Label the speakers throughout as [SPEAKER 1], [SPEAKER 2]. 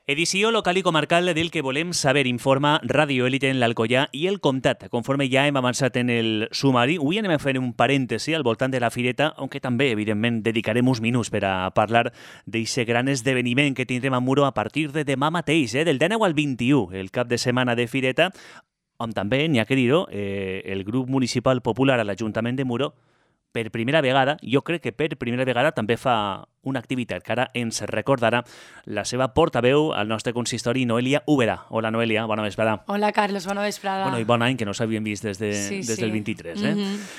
[SPEAKER 1] Edició local i comarcal del que volem saber, informa Radio Élite en l'Alcoià i el Comtat. Conforme ja hem avançat en el sumari, avui anem a fer un parèntesi al voltant de la fireta, aunque també, evidentment, dedicarem uns minuts per a parlar d'aquest gran esdeveniment que tindrem a Muro a partir de demà mateix, del 19 al 21, el cap de setmana de fireta, on també, n'hi ha que dir-ho, el grup municipal popular a l'Ajuntament de Muro, per primera vegada, jo crec que per primera vegada també fa una activitat que ara ens recordarà la seva portaveu al nostre consistori, Noelia Úbeda. Hola, Noelia, bona vesprada.
[SPEAKER 2] Hola, Carlos, bona vesprada.
[SPEAKER 1] Bueno, i bon any, que no s'havien vist des del 23.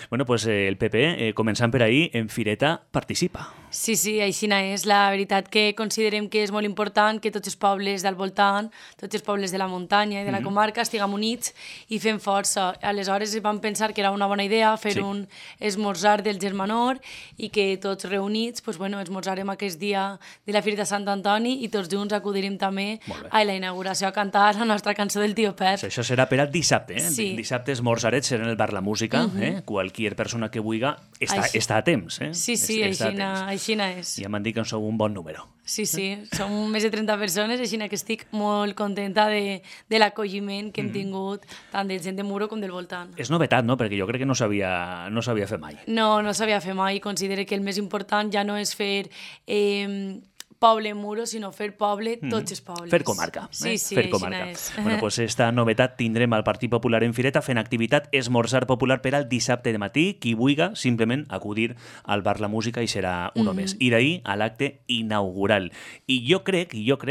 [SPEAKER 1] Bueno, pues el PP, començant per ahir, en fireta participa.
[SPEAKER 2] Sí, així és. La veritat que considerem que és molt important que tots els pobles del voltant, tots els pobles de la muntanya i de la comarca estiguem units i fem força. Aleshores vam pensar que era una bona idea fer un esmorzar del Germanor i que tots reunits, pues, bueno, esmorzarem aquest dia de la Fira de Sant Antoni i tots junts acudirem també a la inauguració a cantar la nostra cançó del Tio Pep.
[SPEAKER 1] Això serà per al dissabte,
[SPEAKER 2] Sí.
[SPEAKER 1] Dissabte esmorzarets serà en el bar La Música, qualquier persona que vulgui està a temps.
[SPEAKER 2] Sí, així és.
[SPEAKER 1] Ja m'han dit que en sou un bon número.
[SPEAKER 2] Sí, som més de 30 persones, així que estic molt contenta de l'acolliment que hem tingut tant de gent de Muro com del voltant.
[SPEAKER 1] És novetat, no? Perquè jo crec que no s'havia fet mai.
[SPEAKER 2] No s'havia fet mai. Considero que el més important ja no és fer poble Muro, sinó fer poble tots els pobles.
[SPEAKER 1] Fer comarca.
[SPEAKER 2] Sí,
[SPEAKER 1] fer comarca.
[SPEAKER 2] és.
[SPEAKER 1] Bueno, pues esta novetat tindrem al Partit Popular en fireta fent activitat esmorzar popular per al dissabte de matí. Qui vulgui simplement acudir al bar La Música i serà un més. I d'ahir a l'acte inaugural. I jo crec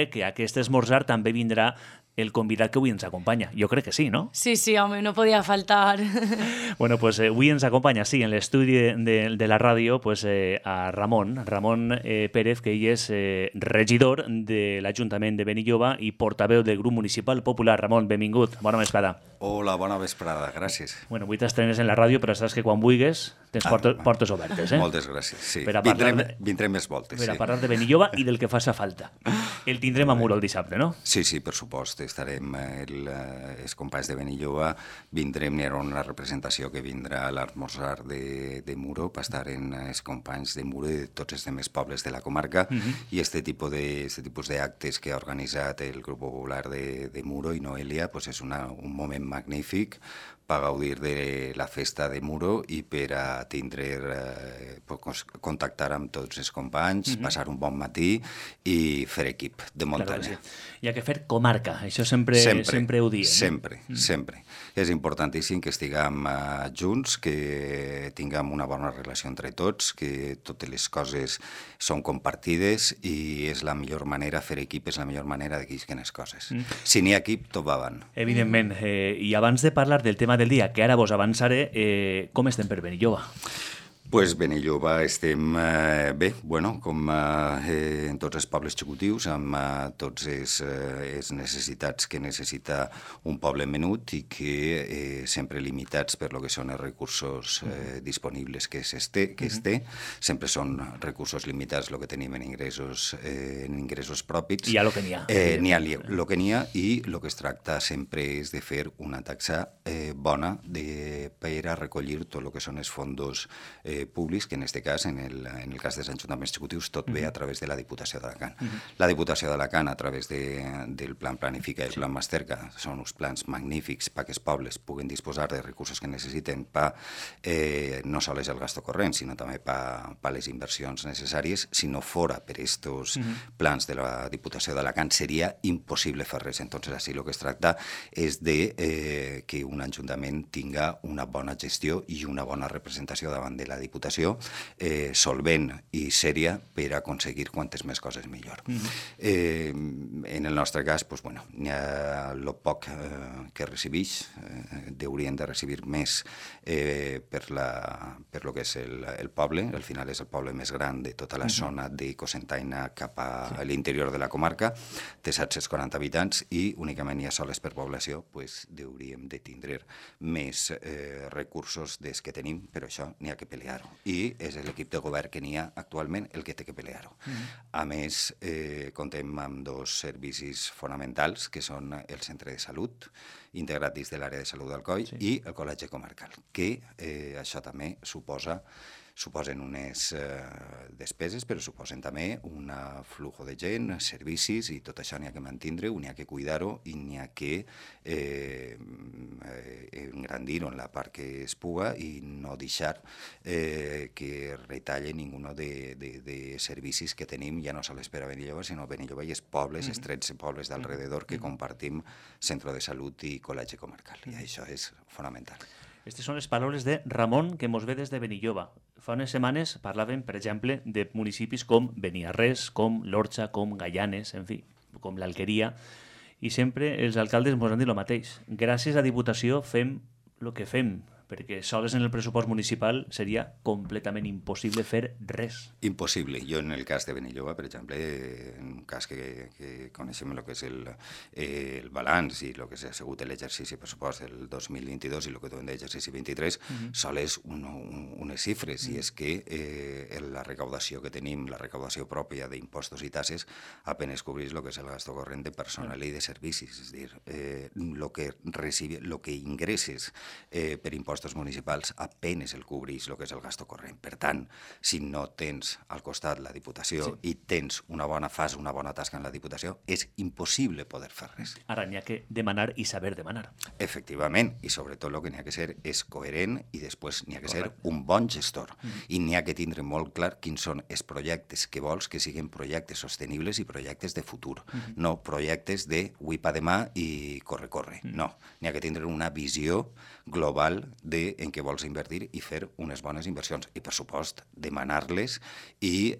[SPEAKER 1] que aquest esmorzar també vindrà el convidat que avui ens acompanya. Jo crec que sí, no?
[SPEAKER 2] Sí, home, no podia faltar.
[SPEAKER 1] Bueno, pues avui ens acompanya, sí, en l'estudi de la ràdio, pues, a Ramon Pérez, que ell és regidor de l'Ajuntament de Benilloba i portaveu del grup municipal popular. Ramon, benvingut, bona vesprada.
[SPEAKER 3] Hola, bona vesprada, gràcies.
[SPEAKER 1] Bueno, avui t'estrenes en la ràdio, però saps que quan vulguis tens portes obertes,
[SPEAKER 3] Moltes gràcies, sí. Vindrem més voltes,
[SPEAKER 1] per a parlar de Benilloba i del que faça falta. El tindrem a Muro el dissabte, no?
[SPEAKER 3] Sí, per supost. Estarem els companys de Benilloba, vindrem, n'hi haurà una representació que vindrà a l'esmorzar de Muro, per estar en els companys de Muro i de tots els altres pobles de la comarca, i este tipus d'actes que ha organitzat el grup popular de Muro i Noelia, pues és un moment magnífic per gaudir de la festa de Muro i per a contactar amb tots els companys, passar un bon matí i fer equip de muntanya.
[SPEAKER 1] Hi ha que fer comarca, això sempre ho diem.
[SPEAKER 3] Sempre. És importantíssim que estiguem junts, que tinguem una bona relació entre tots, que totes les coses són compartides i és la millor manera, fer equip és la millor manera de quisquen les coses. Si n'hi ha equip, tot va avant.
[SPEAKER 1] Evidentment. I abans de parlar del tema del dia, que ara vos avançaré, com estem per Benilloba?
[SPEAKER 3] Pues Benilloba estem bé, com en tots els pobles xicutius, amb totes les necessitats que necessita un poble menut i que sempre limitats per lo que són els recursos disponibles que es té. Sempre són recursos limitats el que tenim en ingressos propis.
[SPEAKER 1] Hi ha el que n'hi ha.
[SPEAKER 3] N'hi ha el que n'hi ha i el que es tracta sempre és de fer una taxa bona per a recollir tot el que són els fondos públics, que en aquest cas, en el cas dels ajuntaments executius, tot ve a través de la Diputació d'Alacant. La Diputació d'Alacant, a través del Plan Planifica i el Plan Masterca, són uns plans magnífics perquè els pobles puguen disposar de recursos que necessiten per no sols el gasto corrent, sinó també per les inversions necessàries. Si no fora per aquests plans de la Diputació d'Alacant, seria impossible fer res. Entonces, així el que es tracta és de que un ajuntament tinga una bona gestió i una bona representació davant de la Diputació, solvent i sèria per aconseguir quantes més coses millor. En el nostre cas, n'hi ha el poc que recibix, haurien de recibir més per lo que és el poble. Al final és el poble més gran de tota la zona de Cocentaina cap a l'interior de la comarca, té 740 habitants i únicament hi ha soles per població, hauríem de tindre més recursos des que tenim, però això n'hi ha que pelear-ho. I és l'equip de govern que n'hi ha actualment el que té que pelear-ho. A més, comptem amb dos servicis fonamentals, que són el centre de salut, integrat dins de l'àrea de salut d'Alcoi, i el col·legi comarcal, que això també suposa suposen unes despeses, però suposen també un flujo de gent, servicis, i tot això n'hi ha que mantindre-ho, n'hi ha que cuidar-ho i n'hi ha que engrandir-ho en la part que es puga i no deixar que retalle ningú de servicis que tenim, ja no sols per a Benilloba, sinó Benilloba i els pobles, els 13 pobles d'alrededor que compartim centre de salut i col·legi comarcal, i això és fonamental.
[SPEAKER 1] Aquestes són les paraules de Ramon, que mos ve des de Benilloba. Fa unes setmanes parlàvem, per exemple, de municipis com Beniarrés, com l'Orxa, com Gaianes, en fi, com l'Alqueria, i sempre els alcaldes mos han dit el mateix. Gràcies a Diputació fem el que fem, perquè sols en el pressupost municipal seria completament impossible fer res.
[SPEAKER 3] Impossible. Jo en el cas de Benilloba, per exemple, en un cas que coneixem el que és el balanç i el que ha sigut l'exercici pressupost del 2022 i el que duem d'exercici 23, sols unes xifres, i és que la recaudació que tenim, la recaudació pròpia d'impostos i tasses, apenas cobreix el que és el gasto corrent de personal i de servicis. És a dir, el que ingresses per impostos municipals apenas el cobreix el que és el gasto corrent. Per tant, si no tens al costat la Diputació i tens una bona tasca en la Diputació, és impossible poder fer res.
[SPEAKER 1] Ara n'hi ha que demanar i saber demanar.
[SPEAKER 3] Efectivament, i sobretot el que n'hi ha que ser és coherent i després n'hi ha que ser un bon gestor. I n'hi ha que tindre molt clar quins són els projectes que vols que siguin projectes sostenibles i projectes de futur, no projectes de avui pa demà i corre. No, n'hi ha que tindre una visió global en què vols invertir i fer unes bones inversions. I, per supost, demanar-les i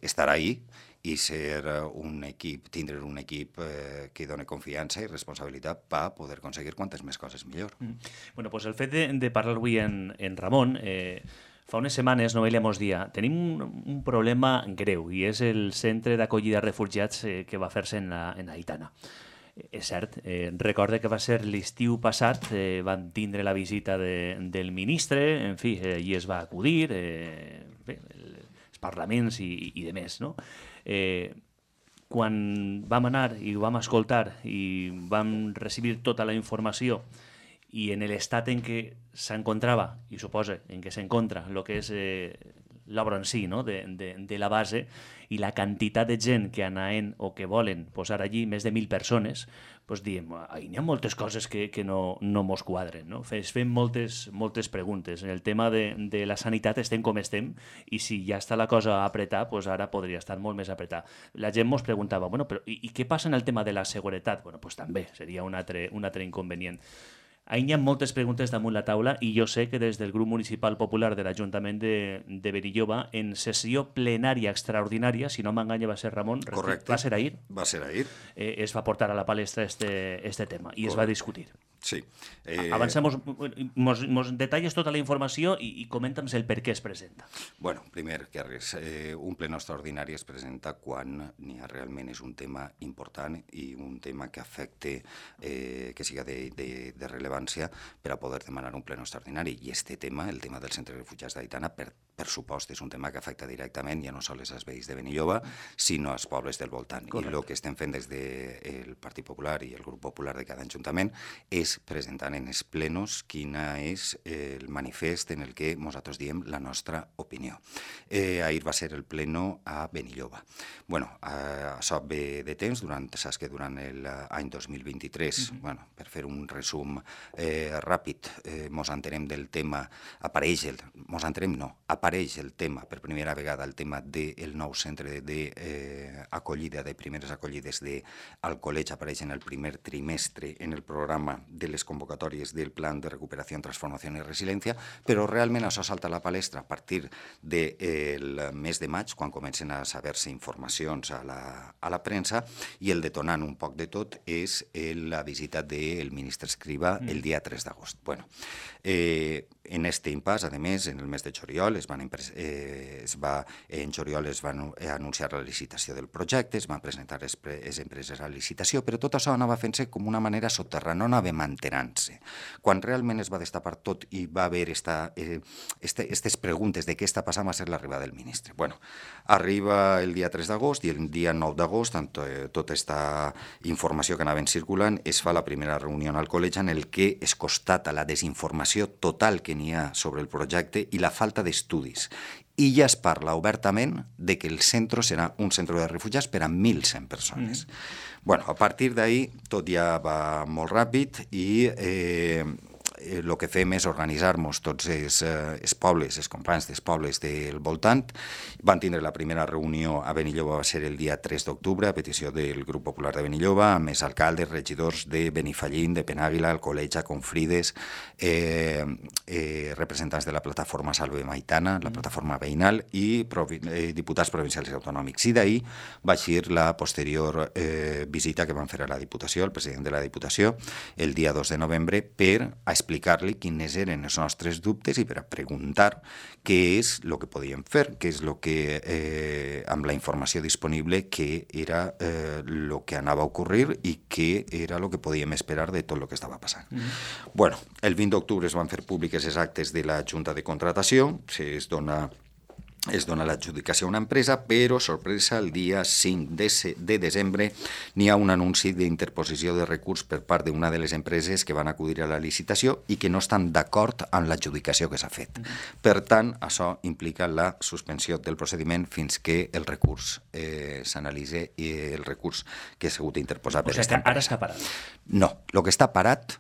[SPEAKER 3] estar ahí i ser un equip, tindre un equip que doni confiança i responsabilitat per poder aconseguir quantes més coses millor.
[SPEAKER 1] Bueno, pues el fet de parlar avui en Ramon, fa unes setmanes Noelia mos dia tenim un problema greu i és el centre d'acollida de refugiats que va fer-se en Aitana. És cert, recorde que va ser l'estiu passat, van tindre la visita del ministre, en fi, i es va acudir, els parlaments i de més, no? Quan vam anar i ho vam escoltar i vam recibir tota la informació i en l'estat en què s'encontrava, i suposa en què s'encontra, el que és l'obra en si, no? de la base, i la quantitat de gent que anaven o que volen posar allí, més de 1.000 persones, doncs diem, n'hi ha moltes coses que no mos quadren. No? Fem moltes preguntes. En el tema de la sanitat estem com estem, i si ja està la cosa a apretar, doncs ara podria estar molt més apretar. La gent mos preguntava, bueno, però i què passa en el tema de la seguretat? Bueno, doncs també seria un altre inconvenient. Ahí hi ha moltes preguntes damunt la taula i jo sé que des del grup municipal popular de l'Ajuntament de Benilloba, en sessió plenària extraordinària, si no m'enganya va ser Ramon,
[SPEAKER 3] correcte.
[SPEAKER 1] Va ser ahir?
[SPEAKER 3] Va ser ahir.
[SPEAKER 1] Es va portar a la palestra este tema i correcte. Es va discutir.
[SPEAKER 3] Sí.
[SPEAKER 1] Avancemos, mos detalles tota la informació i comenta'ns el per què es presenta.
[SPEAKER 3] Bueno, primer que res, un ple extraordinari es presenta quan realment és un tema important i un tema que afecte, que siga de rellevància per a poder demanar un ple extraordinari. I este tema, el tema del centre de refugiats d'Aitana, per supost, és un tema que afecta directament ja no sols als veïns de Benilloba, sinó als pobles del voltant. Correcte. I el que estem fent des del Partit Popular i el grup popular de cada ajuntament és presentant en els plenos quin és el manifest en el que nosaltres diem la nostra opinió. Ahir va ser el pleno a Benilloba. Bueno, això ve de temps, saps que durant l'any 2023, per fer un resum ràpid, mos entenem del tema, apareix el tema, per primera vegada el tema del nou centre d'acollida, de primeres acollides al col·legi, apareix en el primer trimestre en el programa de les convocatòries del Plan de Recuperació, Transformació i Resiliència, però realment això salta a la palestra a partir del mes de maig, quan comencen a saber-se informacions a la premsa, i el detonant un poc de tot és la visita del ministre Escrivá el dia 3 d'agost. Bueno, en este impàs, a més, en el mes de juliol es va anunciar la licitació del projecte, es van presentar les empreses a licitació, però tot això anava fent-se com una manera soterrana, no anava mantenant-se. Quan realment es va destapar tot i va haver aquestes preguntes de què està passant, va ser l'arribada del ministre. Bueno, arriba el dia 3 d'agost i el dia 9 d'agost, amb tota aquesta informació que anaven circulant, es fa la primera reunió al col·legi en el que es constata la desinformació total que n'hi ha sobre el projecte i la falta d'estudi estudis. I ja es parla obertament de que el centre serà un centre de refugiats per a 1.100 persones. Bueno, a partir d'ahir tot ja va molt ràpid i el que fem és organitzar-nos tots els pobles, els companys dels pobles del voltant. Van tindre la primera reunió a Benilloba, va ser el dia 3 d'octubre, a petició del Grup Popular de Benilloba, amb els alcaldes, regidors de Benifallín, de Penàguila, Alcoleja, Confrides, representants de la plataforma Salve Maitana, la plataforma veïnal, i diputats provincials i autonòmics. I d'ahir va eixir la posterior visita que van fer a la Diputació, el president de la Diputació, el dia 2 de novembre, per explicar-li quines eren els nostres dubtes i per a preguntar què és el que podíem fer, què és el que, amb la informació disponible, què era el que anava a ocórrer i què era el que podíem esperar de tot el que estava passant. Bueno, el 20 d'octubre es van fer públiques els actes de la Junta de Contratació, es dona l'adjudicació a una empresa, però, sorpresa, el dia 5 de desembre n'hi ha un anunci d'interposició de recurs per part d'una de les empreses que van acudir a la licitació i que no estan d'acord amb l'adjudicació que s'ha fet. Per tant, això implica la suspensió del procediment fins que el recurs s'analitzi i el recurs que s'ha hagut d'interposar per aquesta empresa.
[SPEAKER 1] Ara està parat.
[SPEAKER 3] No, el que està parat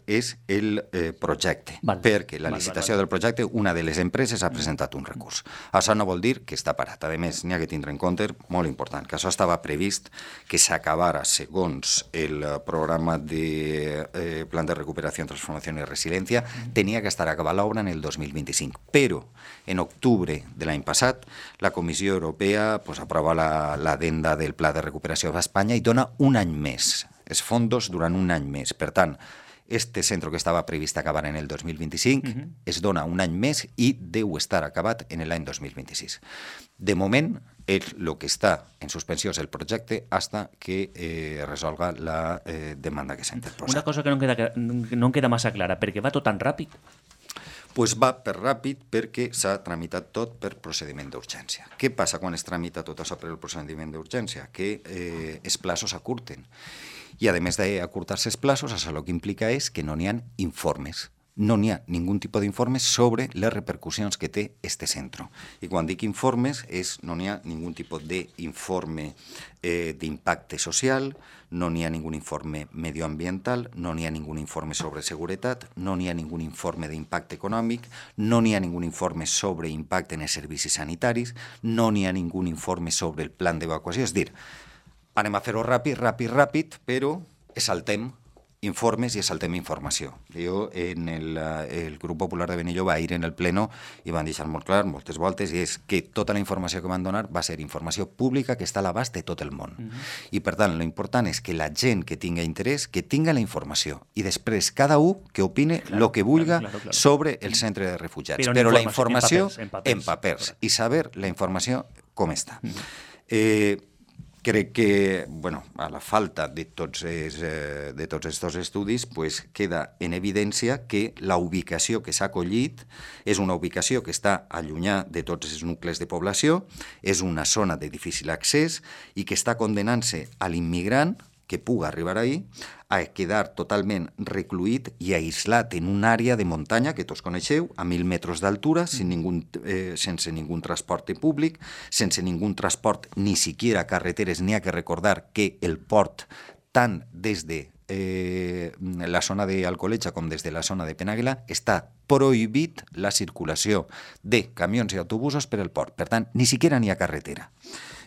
[SPEAKER 3] és el projecte, perquè la licitació del projecte, una de les empreses ha presentat un recurs. Això no vol dir que està parat. A més, n'hi ha que tindre en compte, molt important, que això estava previst que s'acabara segons el programa de Plan de Recuperació, Transformació i Resiliència, tenia que estar acabada l'obra en el 2025. Però, en octubre de l'any passat, la Comissió Europea aprova l'adenda del Pla de Recuperació d'Espanya i dona un any més, els fons durant un any més. Per tant, este centre que estava previst acabar en el 2025 es dona un any més i deu estar acabat en l'any 2026. De moment, el que està en suspensió és el projecte fins que resolga la demanda que s'ha interposat.
[SPEAKER 1] Una cosa que no em queda massa clara, perquè va tot tan ràpid?
[SPEAKER 3] Pues va per ràpid perquè s'ha tramitat tot per procediment d'urgència. Què passa quan es tramita tot això per el procediment d'urgència? Que els plazos s'acurten. I, a més d'acurtar-se els plazos, això el que implica és que no n'hi ha informes. No n'hi ha ningú tipus d'informes sobre les repercussions que té este centre. I quan dic informes, no n'hi ha ningú tipus d'informe d'impacte social, no n'hi ha ningú informe medioambiental, no n'hi ha ningú informe sobre seguretat, no n'hi ha ningú informe d'impacte econòmic, no n'hi ha ningú informe sobre impacte en els servicis sanitaris, no n'hi ha ningú informe sobre el plan d'evacuació. És dir, anem a fer-ho ràpid, però saltem informes i saltem informació. Jo, en el Grup Popular de Benilloba, ahir en el pleno, i van deixar molt clar, moltes voltes, i és que tota la informació que van donar va ser informació pública que està a l'abast de tot el món. I, per tant, l'important és que la gent que tinga interès, que tinga la informació, i després cada un que opine el que vulga sobre el centre de refugiats. Però la informació en papers, i saber la informació com està. Crec que, a la falta de tots aquests estudis, queda en evidència que la ubicació que s'ha acollit és una ubicació que està allunyada de tots els nuclis de població, és una zona de difícil accés i que està condenant-se a l'immigrant que pugui arribar ahí a quedar totalment recluït i aïslat en una àrea de muntanya que tots coneixeu, a 1.000 metres d'altura, sense ningú transport públic, sense ningú transport, ni siquiera carreteres. N'hi ha que recordar que el port, tant des de la zona d'Alcoleja com des de la zona de Penàguila, està prohibit la circulació de camions i autobusos per el port. Per tant, ni siquiera n'hi ha carretera.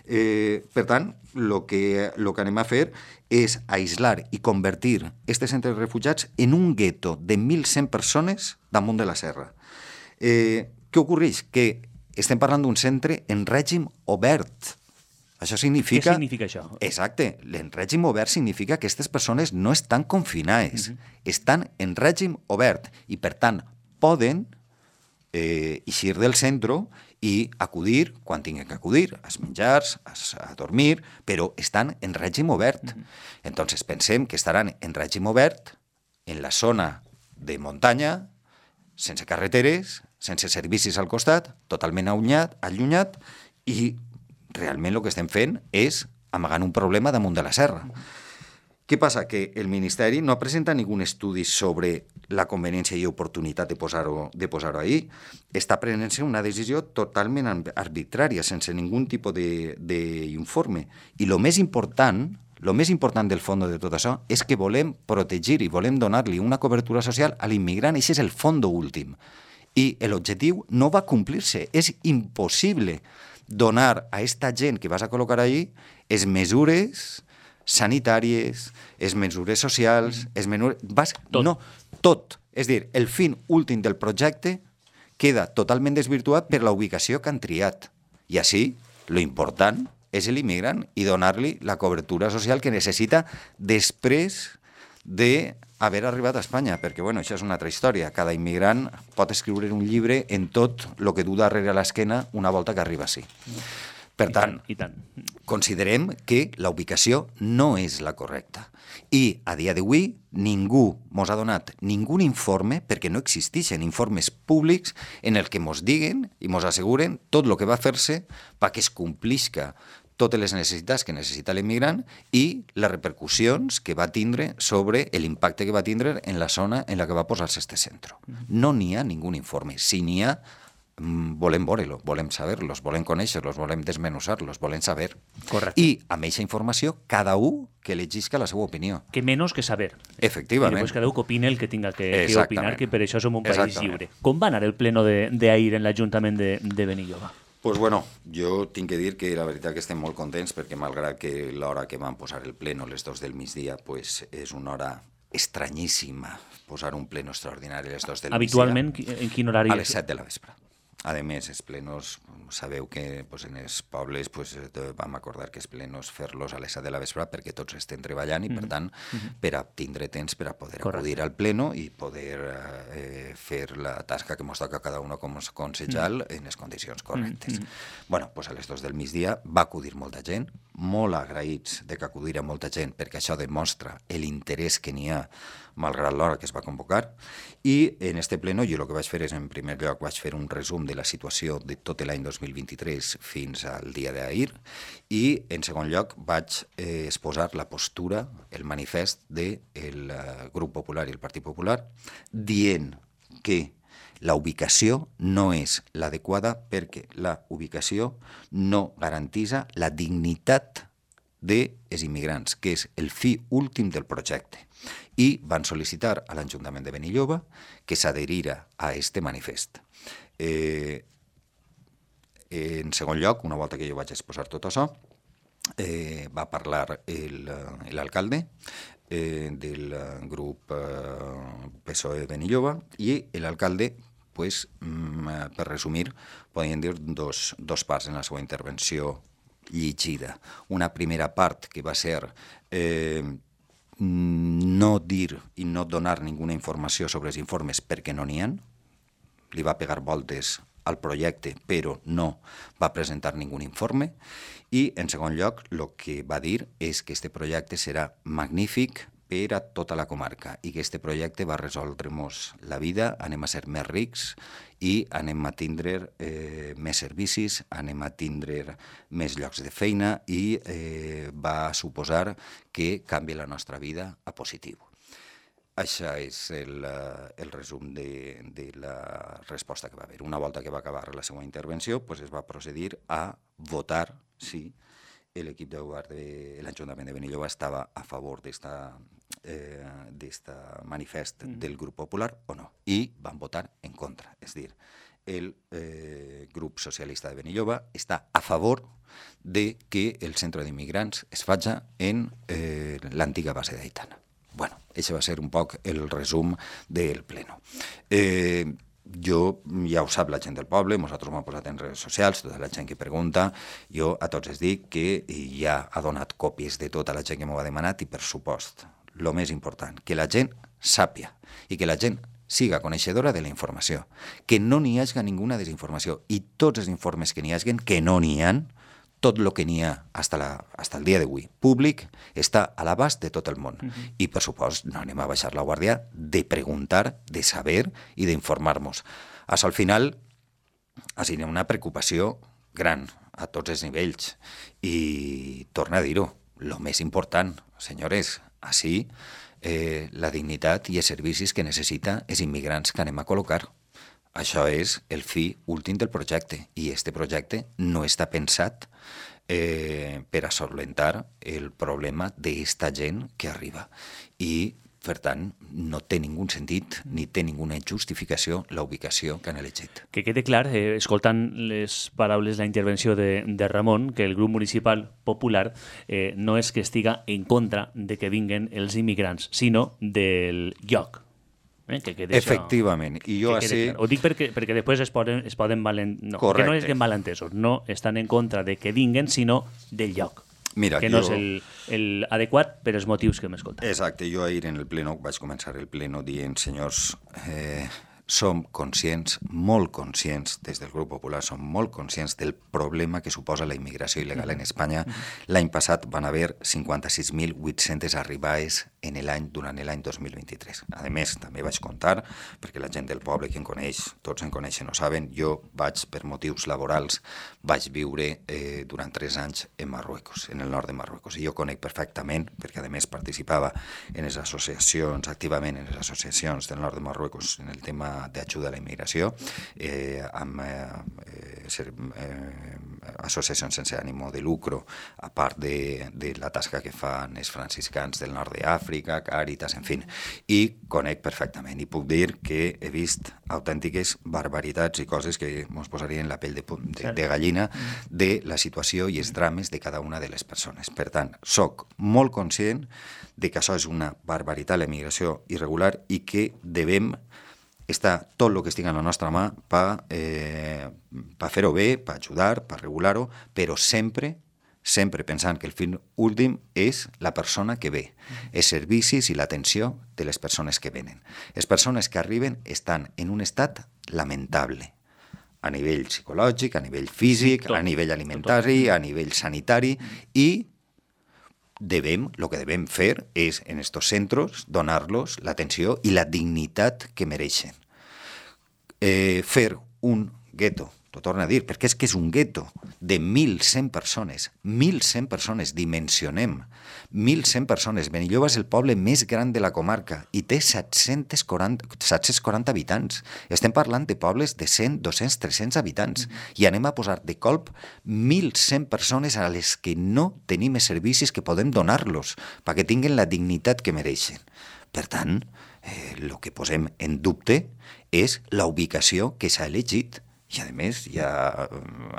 [SPEAKER 3] Per tant, el que anem a fer és aïslar i convertir este centre de refugiats en un gueto de 1.100 persones damunt de la serra. Què ocorreix? Que estem parlant d'un centre en règim obert. Això significa...
[SPEAKER 1] Què significa això?
[SPEAKER 3] Exacte. En règim obert significa que aquestes persones no estan confinades, estan en règim obert i, per tant, poden eixir del centre i acudir quan tinguin que acudir, als menjars, a dormir, però estan en règim obert. Entonces pensem que estaran en règim obert en la zona de muntanya, sense carreteres, sense servicis al costat, totalment allunyat, i realment el que estem fent és amagant un problema damunt de la serra. Què passa? Que el Ministeri no presenta ningú estudi sobre la conveniència i oportunitat de posar-ho ahí. Està prenent-se una decisió totalment arbitrària, sense ningú tipus d'informe. I el més important del fons de tot això és que volem protegir i volem donar-li una cobertura social a l'immigrant. Això és el fons últim. I l'objectiu no va complir-se. És impossible donar a aquesta gent que vas a col·locar allí les mesures sanitàries, les mesures socials,
[SPEAKER 1] Tot.
[SPEAKER 3] Tot. És dir, el fin últim del projecte queda totalment desvirtuat per la ubicació que han triat. I així, lo important és l'immigrant i donar-li la cobertura social que necessita després d'haver arribat a Espanya, perquè bueno, això és una altra història. Cada immigrant pot escriure un llibre en tot el que du darrere a l'esquena una volta que arriba així. Per tant, considerem que la ubicació no és la correcta. I a dia d'avui ningú mos ha donat ningú informe, perquè no existeixen informes públics en el que mos diguen i mos asseguren tot el que va fer-se perquè es complisca totes les necessitats que necessita l'immigrant i les repercussions que va tindre sobre l'impacte que va tindre en la zona en la que va posar-se este centre. No n'hi ha ningú informe. Si n'hi ha, volem veure-lo, volem saber-los, volem conèixer-los, volem desmenuzar-los, volem saber.
[SPEAKER 1] Correcte.
[SPEAKER 3] I amb aquesta informació, cada un que elegisca la seva opinió.
[SPEAKER 1] Que menys que saber.
[SPEAKER 3] Efectivament.
[SPEAKER 1] I després cada un que opine el que tinga que opinar, que per això som un país lliure. Com va anar el pleno d'ahir en l'Ajuntament de Benilloba?
[SPEAKER 3] Pues bueno, jo tinc que dir que la veritat que estem molt contents perquè malgrat que l'hora que van posar el pleno, les 2 del migdia, pues és una hora estranyíssima posar un pleno extraordinari a les 2 del migdia.
[SPEAKER 1] Habitualment, en quin horari?
[SPEAKER 3] A les 7 de la vespre. A més, els plenos, sabeu que pues, en els pobles pues, vam acordar que els plenos fer-los a les 7 de la vespre perquè tots estem treballant i, per tant, per a tindre temps per a poder acudir al pleno i poder fer la tasca que ens toca a cada un com a concejal en les condicions correctes. Bueno, pues a les 2 del migdia va acudir molta gent, molt agraïts de que acudira molta gent perquè això demostra l'interès que n'hi ha malgrat l'hora que es va convocar, i en este pleno jo el que vaig fer és, en primer lloc, vaig fer un resum de la situació de tot l'any 2023 fins al dia d'ahir, i en segon lloc vaig exposar la postura, el manifest del Grup Popular i el Partit Popular, dient que la ubicació no és l'adequada perquè la ubicació no garantitza la dignitat dels immigrants, que és el fi últim del projecte. I van sol·licitar a l'Ajuntament de Benilloba que s'adherira a este manifest. En segon lloc, una volta que jo vaig exposar tot això, va parlar l'alcalde del grup PSOE Benilloba i l'alcalde, pues, per resumir, podríem dir dos parts en la seva intervenció llegida. Una primera part que va ser no dir i no donar ninguna informació sobre els informes perquè no n'hi ha. Li va pegar voltes al projecte, però no va presentar ningú informe. I, en segon lloc, el que va dir és que aquest projecte serà magnífic per a tota la comarca i que aquest projecte va resoldre-nos la vida, anem a ser més rics i anem a tindre més servicis, anem a tindre més llocs de feina i va suposar que canvi la nostra vida a positiu. Això és el resum de la resposta que va haver. Una volta que va acabar la seva intervenció, pues es va procedir a votar si l'equip de govern de l'Ajuntament de Benilloba estava a favor d'este manifest del Grup Popular o no. I van votar en contra. És a dir, el grup socialista de Benilloba està a favor de que el centre d'immigrants es faci en l'antiga base d'Aitana. Bueno, això va ser un poc el resum del pleno. Jo, ja ho sap la gent del poble, nosaltres m'hem posat en redes socials, tota la gent que pregunta, jo a tots els dic que ja ha donat còpies de tota la gent que m'ho ha demanat i, per supost, el més important, que la gent sàpia i que la gent siga coneixedora de la informació, que no n'hi hagi ninguna desinformació i tots els informes que n'hi hagi, que no n'hi ha, tot el que n'hi ha fins el dia d'avui públic està a l'abast de tot el món. I, per supost, no anem a baixar la guàrdia de preguntar, de saber i d'informar-nos. Al final, ha sigut una preocupació gran a tots els nivells. I torna a dir-ho, el més important, senyores, així la dignitat i els servicis que necessita els immigrants que anem a col·locar. Això és el fi últim del projecte i este projecte no està pensat per a solventar el problema d'esta gent que arriba. I, per tant, no té ningú sentit ni té ninguna justificació la ubicació que han elegit.
[SPEAKER 1] Que quede clar, escoltant les paraules, la intervenció de Ramon, que el grup municipal popular no és que estiga en contra de que vinguen els immigrants, sinó del lloc. Que
[SPEAKER 3] Efectivament. I jo
[SPEAKER 1] ho dic perquè després es poden no, que no és que malentesos, no estan en contra de que vinguen, sinó del lloc.
[SPEAKER 3] Mira,
[SPEAKER 1] que no és l'adequat per als motius que hem escoltat.
[SPEAKER 3] Exacte, jo ahir en el pleno vaig començar el pleno dient, senyors, som conscients, molt conscients, des del grup popular, som molt conscients del problema que suposa la immigració il·legal en Espanya. L'any passat van haver 56.800 arribades durant l'any 2023. A més, també vaig contar, perquè la gent del poble que em coneix, tots em coneixen o saben, jo vaig, per motius laborals, vaig viure durant 3 anys en Marruecos, en el nord de Marruecos. I jo conec perfectament, perquè a més participava en les associacions, activament en les associacions del nord de Marruecos, en el tema d'ajuda a la immigració, amb associacions sense ànimo de lucro, a part de la tasca que fan els franciscans del nord d'Àfrica, Càritas, en fi, i conec perfectament. I puc dir que he vist autèntiques barbaritats i coses que ens posarien la pell de gallina de la situació i els drames de cada una de les persones. Per tant, soc molt conscient de que això és una barbaritat, la immigració irregular, i que devem està tot el que estigui en la nostra mà per fer-ho bé, per ajudar, per regular-ho, però sempre pensant que el fin últim és la persona que ve, els servicis i l'atenció de les persones que venen. Les persones que arriben estan en un estat lamentable, a nivell psicològic, a nivell físic, a nivell alimentari, a nivell sanitari, i el que devem fer és, en estos centres, donar-los l'atenció i la dignitat que mereixen. Fer un gueto, t'ho torno a dir, perquè és que és un gueto de 1.100 persones, dimensionem, 1.100 persones. Benilloba és el poble més gran de la comarca i té 740 habitants. Estem parlant de pobles de 100, 200, 300 habitants i anem a posar de colp 1.100 persones a les que no tenim els servicis que podem donar-los perquè tinguin la dignitat que mereixen. Per tant, el que posem en dubte és la ubicació que s'ha elegit. I, a més, ja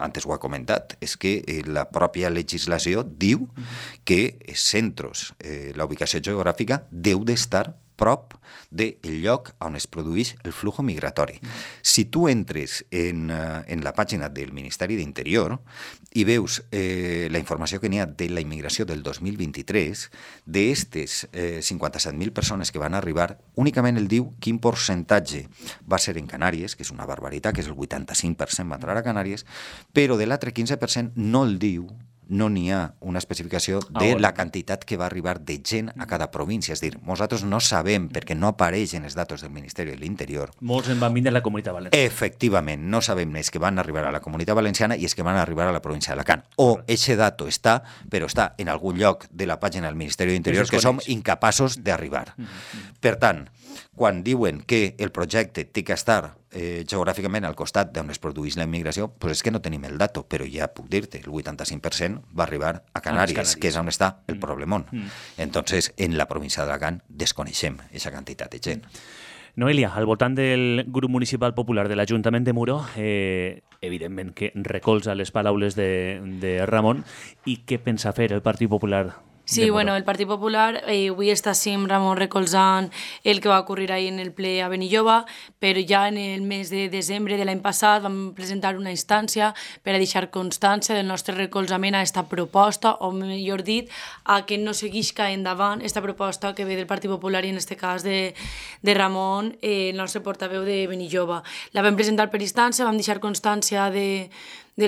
[SPEAKER 3] antes ho ha comentat, és que la pròpia legislació diu que els centres, la ubicació geogràfica, deu d'estar prop del lloc on es produeix el flux migratori. Si tu entres en la pàgina del Ministeri d'Interior i veus la informació que n'hi ha de la immigració del 2023, d'estes 57.000 persones que van arribar, únicament el diu quin percentatge va ser en Canàries, que és una barbaritat, que és el 85% va entrar a Canàries, però de l'altre 15% no el diu, no n'hi ha una especificació de la quantitat que va arribar de gent a cada província. És a dir, nosaltres no sabem, perquè no apareixen els datos del Ministeri de l'Interior.
[SPEAKER 1] Molts en van vindre a la Comunitat Valenciana.
[SPEAKER 3] Efectivament, no sabem els que van arribar a la Comunitat Valenciana i els que van arribar a la província d'Alacant. O eixe dato està, però està en algun lloc de la pàgina del Ministeri de l'Interior que som incapaços d'arribar. Per tant, quan diuen que el projecte té que estar geogràficament al costat d'on es produeix la immigració, doncs és que no tenim el dato, però ja puc dir-te, el 85% va arribar a Canàries, que és on està el problemón. Entonces, en la província d'Alacant desconeixem aquesta quantitat de gent.
[SPEAKER 1] Noelia, al voltant del grup municipal popular de l'Ajuntament de Muro, evidentment que recolza les paraules de Ramon, i què pensa fer el Partit Popular?
[SPEAKER 2] Sí, bueno, el Partit Popular avui està sempre molt recolzant el que va ocórrer ahir en el ple a Benilloba, però ja en el mes de desembre de l'any passat vam presentar una instància per a deixar constància del nostre recolzament a aquesta proposta, o millor dit, a que no seguisca endavant aquesta proposta que ve del Partit Popular i en aquest cas de Ramon, el nostre portaveu de Benilloba. La vam presentar per instància, vam deixar constància de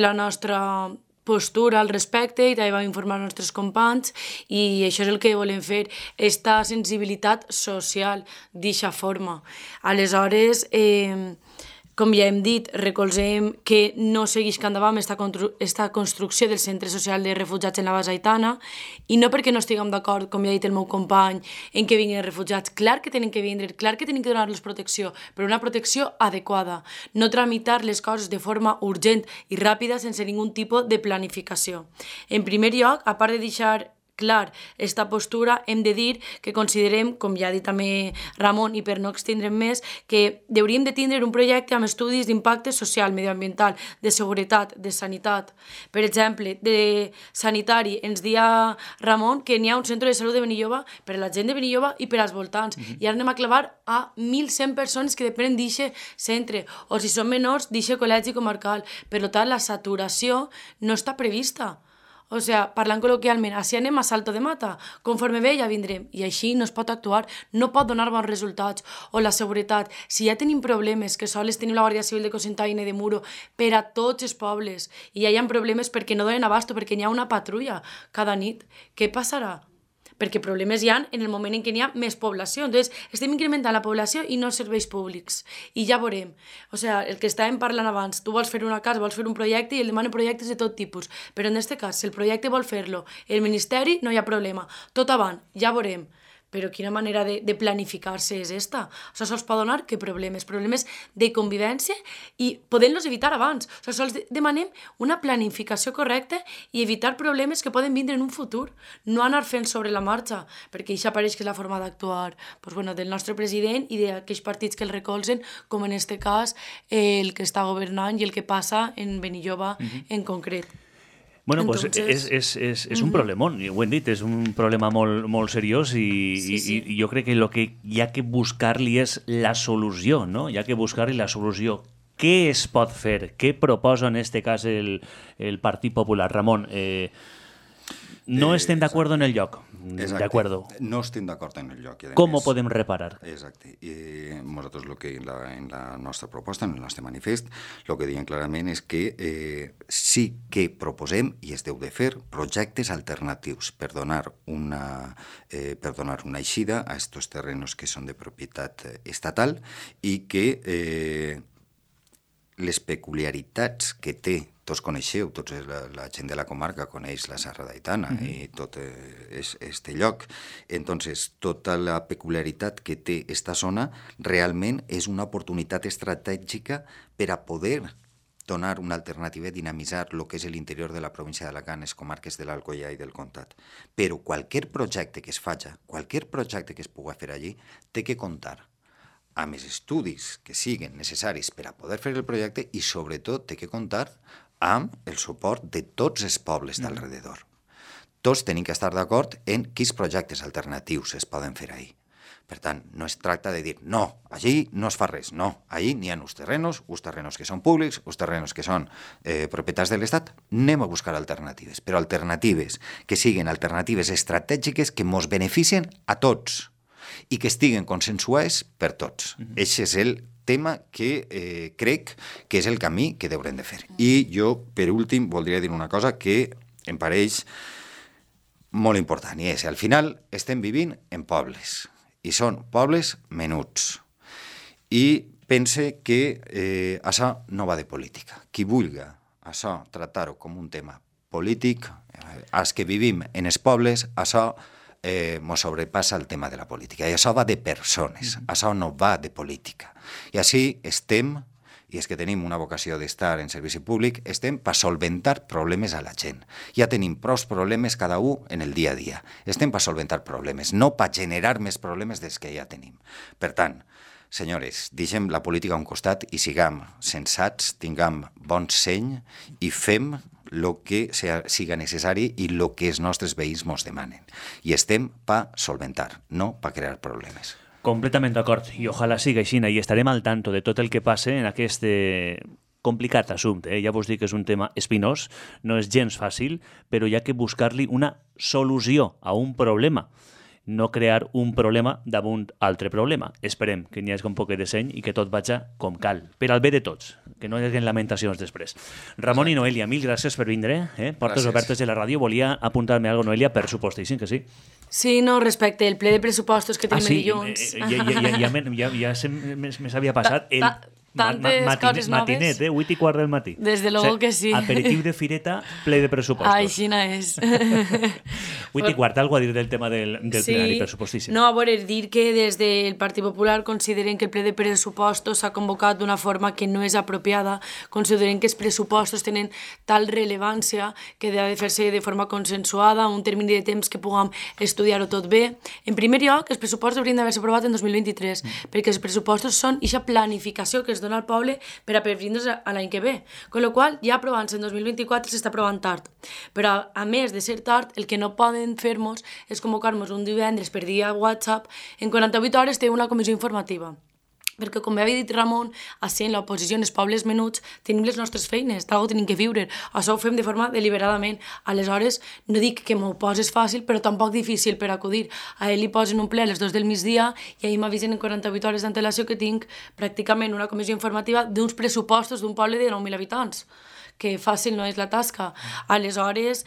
[SPEAKER 2] la nostra postura al respecte i també vam informar els nostres companys i això és el que volem fer, esta sensibilitat social d'eixa forma. Aleshores, com ja hem dit, recolzem que no segueix endavant aquesta construcció del centre social de refugiats en la base haitana, i no perquè no estiguem d'acord, com ja ha dit el meu company, en que vinguin els refugiats. Clar que tenen que vindre, clar que tenen que donar-los protecció, però una protecció adequada, no tramitar les coses de forma urgent i ràpida sense ningun tipus de planificació. En primer lloc, a part de deixar clar esta postura, hem de dir que considerem, com ja ha dit també Ramon, i per no extendre'm més, que hauríem de tindre un projecte amb estudis d'impacte social, medioambiental, de seguretat, de sanitat. Per exemple, de sanitari, ens dia Ramon que n'hi ha un centre de salut de Benilloba per a la gent de Benilloba i per als voltants. I ara anem a clavar a 1.100 persones que depenen d'aquest centre, o si són menors, d'aquest col·legi comarcal. Per tant, la saturació no està prevista. O sigui, parlant col·loquialment, així anem a salto de mata, conforme ve ja vindrem, i així no es pot actuar, no pot donar bons resultats. O la seguretat, si ja tenim problemes, que sols tenim la Guàrdia Civil de Cocentaina i de Muro per a tots els pobles, i ja hi ha problemes perquè no donen abast, perquè n'hi ha una patrulla cada nit, què passarà? Perquè problemes hi ha en el moment en què n'hi ha més població. Entonces, estem incrementant la població i no els serveis públics. I ja veurem. O sigui, el que estàvem parlant abans, tu vols fer una casa, vols fer un projecte i el demanen projectes de tot tipus. Però en aquest cas, si el projecte vol fer-lo el Ministeri, no hi ha problema. Tot avant, ja veurem. Però quina manera de planificar-se és esta? O sigui, sols pot donar que problemes de convivència i podent-los evitar abans. O sigui, sols demanem una planificació correcta i evitar problemes que poden vindre en un futur, no anar fent sobre la marxa, perquè això pareix que és la forma d'actuar del nostre president i d'aquells partits que el recolzen, com en aquest cas el que està governant i el que passa en Benilloba en concret.
[SPEAKER 1] Bueno, pues és un problemón, ho hem dit, és un problema molt seriós i jo crec que el que hi ha que buscar-li és la solució, no? Hi ha que buscar-li la solució. Què es pot fer? Què proposa en aquest cas el Partit Popular? Ramon, no estem d'acord en el lloc.
[SPEAKER 3] Exacte. No estem d'acord en el lloc.
[SPEAKER 1] Com ho podem reparar?
[SPEAKER 3] Exacte. Nosaltres en la nostra proposta, en el nostre manifest, el que diem clarament és que sí que proposem, i es deu de fer, projectes alternatius per donar una eixida a aquests terrenos que són de propietat estatal i que les peculiaritats que té, tots coneixeu, la gent de la comarca coneix la Serra d'Aitana i tot este lloc. Entonces, tota la peculiaritat que té esta zona realment és una oportunitat estratègica per a poder donar una alternativa i dinamitzar el que és l'interior de la província d'Alacant, les comarques de l'Alcoià i del Comtat. Però qualsevol projecte que es faci, qualsevol projecte que es pugui fer allí, té que comptar amb els estudis que siguin necessaris per a poder fer el projecte i, sobretot, té que comptar amb el suport de tots els pobles d'alrededor. Tots tenim que estar d'acord en quins projectes alternatius es poden fer ahí. Per tant, no es tracta de dir, no, allí no es fa res, no, allí n'hi ha uns terrenos que són públics, uns terrenos que són propietats de l'Estat, anem a buscar alternatives, però alternatives que siguin alternatives estratègiques que ens beneficien a tots i que estiguen consensuades per tots. Aquest és el tema que crec que és el camí que haurem de fer. I jo, per últim, voldria dir una cosa que em pareix molt important, i és, al final estem vivint en pobles, i són pobles menuts. I pense que això no va de política. Qui vulgui això tractar-ho com un tema polític, els que vivim en els pobles, això ens sobrepassa el tema de la política. I això va de persones, això no va de política. I així estem, i és que tenim una vocació d'estar en servici públic, estem per solventar problemes a la gent. Ja tenim prou problemes cada un en el dia a dia. Estem per solventar problemes, no per generar més problemes dels que ja tenim. Per tant, senyores, deixem la política a un costat i siguem sensats, tinguem bon seny i fem el que siga necessari i el que els nostres veïns ens demanen. I estem per solventar, no per crear problemes.
[SPEAKER 1] Completament d'acord, i ojalà siga així, i estarem al tanto de tot el que passe en aquest complicat assumpte. Ja vos dic que és un tema espinós, no és gens fàcil, però hi ha que buscar-li una solució a un problema, no crear un problema damunt altre problema. Esperem que n'hi hagi un poc de seny i que tot vagi com cal, per al bé de tots, que no hi hagi lamentacions després. Ramon i Noelia, mil gràcies per vindre, portes obertes de la ràdio. Volia apuntar-me alguna cosa, Noelia, per supostíssim que sí.
[SPEAKER 2] Sí, no, respecte el ple de pressupostos que tenim dilluns.
[SPEAKER 1] Ja se m'havia passat.
[SPEAKER 2] tantes coses noves.
[SPEAKER 1] Matinet, 8:15 del matí.
[SPEAKER 2] Des de luego que sí.
[SPEAKER 1] Aperitiu de fireta, ple de pressupostos.
[SPEAKER 2] Aixina és.
[SPEAKER 1] 8:15, algo a dir del tema del plenari pressupostici.
[SPEAKER 2] No, a veure, dir que des del Partit Popular consideren que el ple de pressupostos s'ha convocat d'una forma que no és apropiada, consideren que els pressupostos tenen tal rellevància que ha de fer-se de forma consensuada, un termini de temps que puguem estudiar-ho tot bé. En primer lloc, els pressupostos haurien d'haver-se aprovat en 2023, perquè els pressupostos són aquesta planificació que es dona al poble per a previndre's a l'any que ve. Con lo qual, ja aprovant-se en 2024 s'està aprovant tard. Però, a més de ser tard, el que no poden fer-nos és convocar-nos un divendres per dia WhatsApp, en 48 hores té una comissió informativa. Perquè, com havia dit Ramon, així en l'oposició, en els pobles menuts, tenim les nostres feines, d'algú tenim que viure. Això ho fem de forma deliberadament. Aleshores, no dic que m'ho poses fàcil, però tampoc difícil per acudir. A ell li posen un ple a les 2 del migdia i ahir m'avisen en 48 hores d'antelació que tinc pràcticament una comissió informativa d'uns pressupostos d'un poble de 9.000 habitants, que fàcil no és la tasca. Aleshores,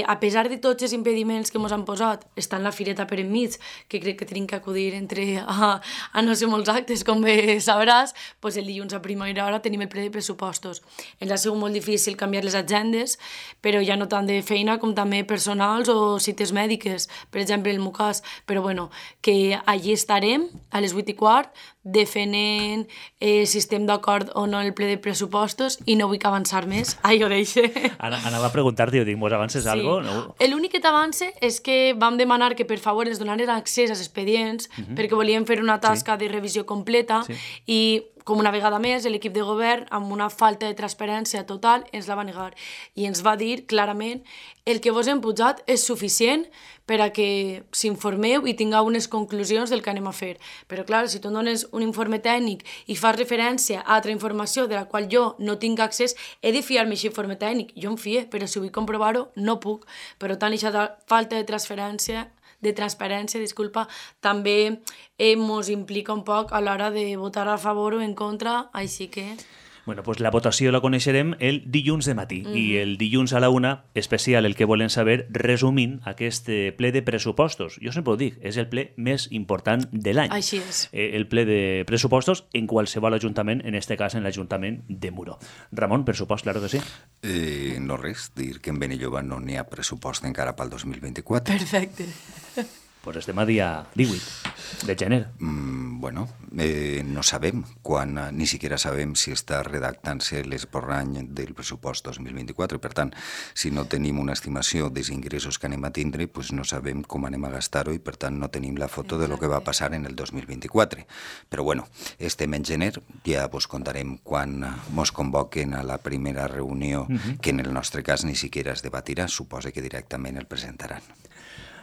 [SPEAKER 2] a pesar de tots els impediments que ens han posat, està en la fireta per enmig, que crec que tenim que acudir a no ser molts actes, com bé sabràs, doncs el dilluns a primera hora tenim el ple de pressupostos. Ens ha sigut molt difícil canviar les agendes, però ja no tant de feina com també personals o cites mèdiques, per exemple el meu cas. Però bueno, que allí estarem a les 8:15 defenent si estem d'acord o no el ple de pressupostos i no vull que avançar més. Ai, ho deixe.
[SPEAKER 1] Anava a preguntar-te, dic, mos avances algo? No?
[SPEAKER 2] L'únic que t'avance és que vam demanar que per favor ens donaren accés als expedients perquè volíem fer una tasca de revisió completa i com una vegada més, l'equip de govern, amb una falta de transparència total, ens la va negar. I ens va dir clarament el que vos hem posat és suficient per a que s'informeu i tingueu unes conclusions del que anem a fer. Però, clar, si tu em dones un informe tècnic i fas referència a altra informació de la qual jo no tinc accés, he de fiar-me aquest informe tècnic. Jo em fie, però si vull comprovar-ho, no puc. Per tant, aquesta falta de transparència, també ens implica un poc a l'hora de votar a favor o en contra, així que...
[SPEAKER 1] Bueno, pues la votació la coneixerem el dilluns de matí i el dilluns a la 1, especial el que volen saber, resumint aquest ple de pressupostos. Jo sempre ho dic, és el ple més important de l'any.
[SPEAKER 2] Així és.
[SPEAKER 1] El ple de pressupostos en qualsevol ajuntament, en este cas en l'Ajuntament de Muro. Ramon, pressupost, claro que sí.
[SPEAKER 3] No res, dir que en Benilloba no n'hi ha pressupost encara pel 2024.
[SPEAKER 2] Perfecte.
[SPEAKER 1] Pues estem a dia 18 de gener.
[SPEAKER 3] Bueno, no sabem quan, ni siquiera sabem si està redactant-se l'esborrany del pressupost 2024. Per tant, si no tenim una estimació dels ingressos que anem a tindre, pues no sabem com anem a gastar-ho i per tant no tenim la foto de lo que va passar en el 2024. Però bueno, estem en gener, ja vos contarem quan mos convoquen a la primera reunió, que en el nostre cas ni siquiera es debatirà, suposa que directament el presentaran.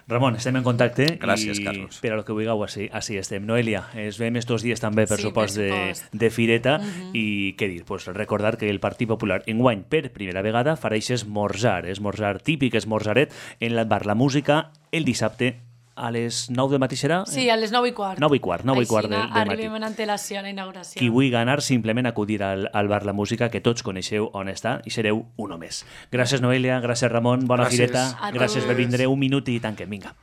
[SPEAKER 1] Ramon, estem en contacte.
[SPEAKER 3] Gràcies, Carlos.
[SPEAKER 1] Per a lo que vulgueu, així estem. Noelia, es veiem estos dies també per supost de fireta i què dir, pues recordar que el Partit Popular enguany per primera vegada farà aquest esmorzar típic, esmorzaret en el bar La Música el dissabte a les 9 del matí serà?
[SPEAKER 2] Sí, a les 9:15.
[SPEAKER 1] 9:15 del matí.
[SPEAKER 2] Arribem en antelació a la inauguració.
[SPEAKER 1] Qui vulgui anar, simplement acudir al bar La Música, que tots coneixeu on està i sereu un o més. Gràcies, Noelia, gràcies, Ramon, bona fireta. Gràcies per vindre, un minut i tanquem, vinga.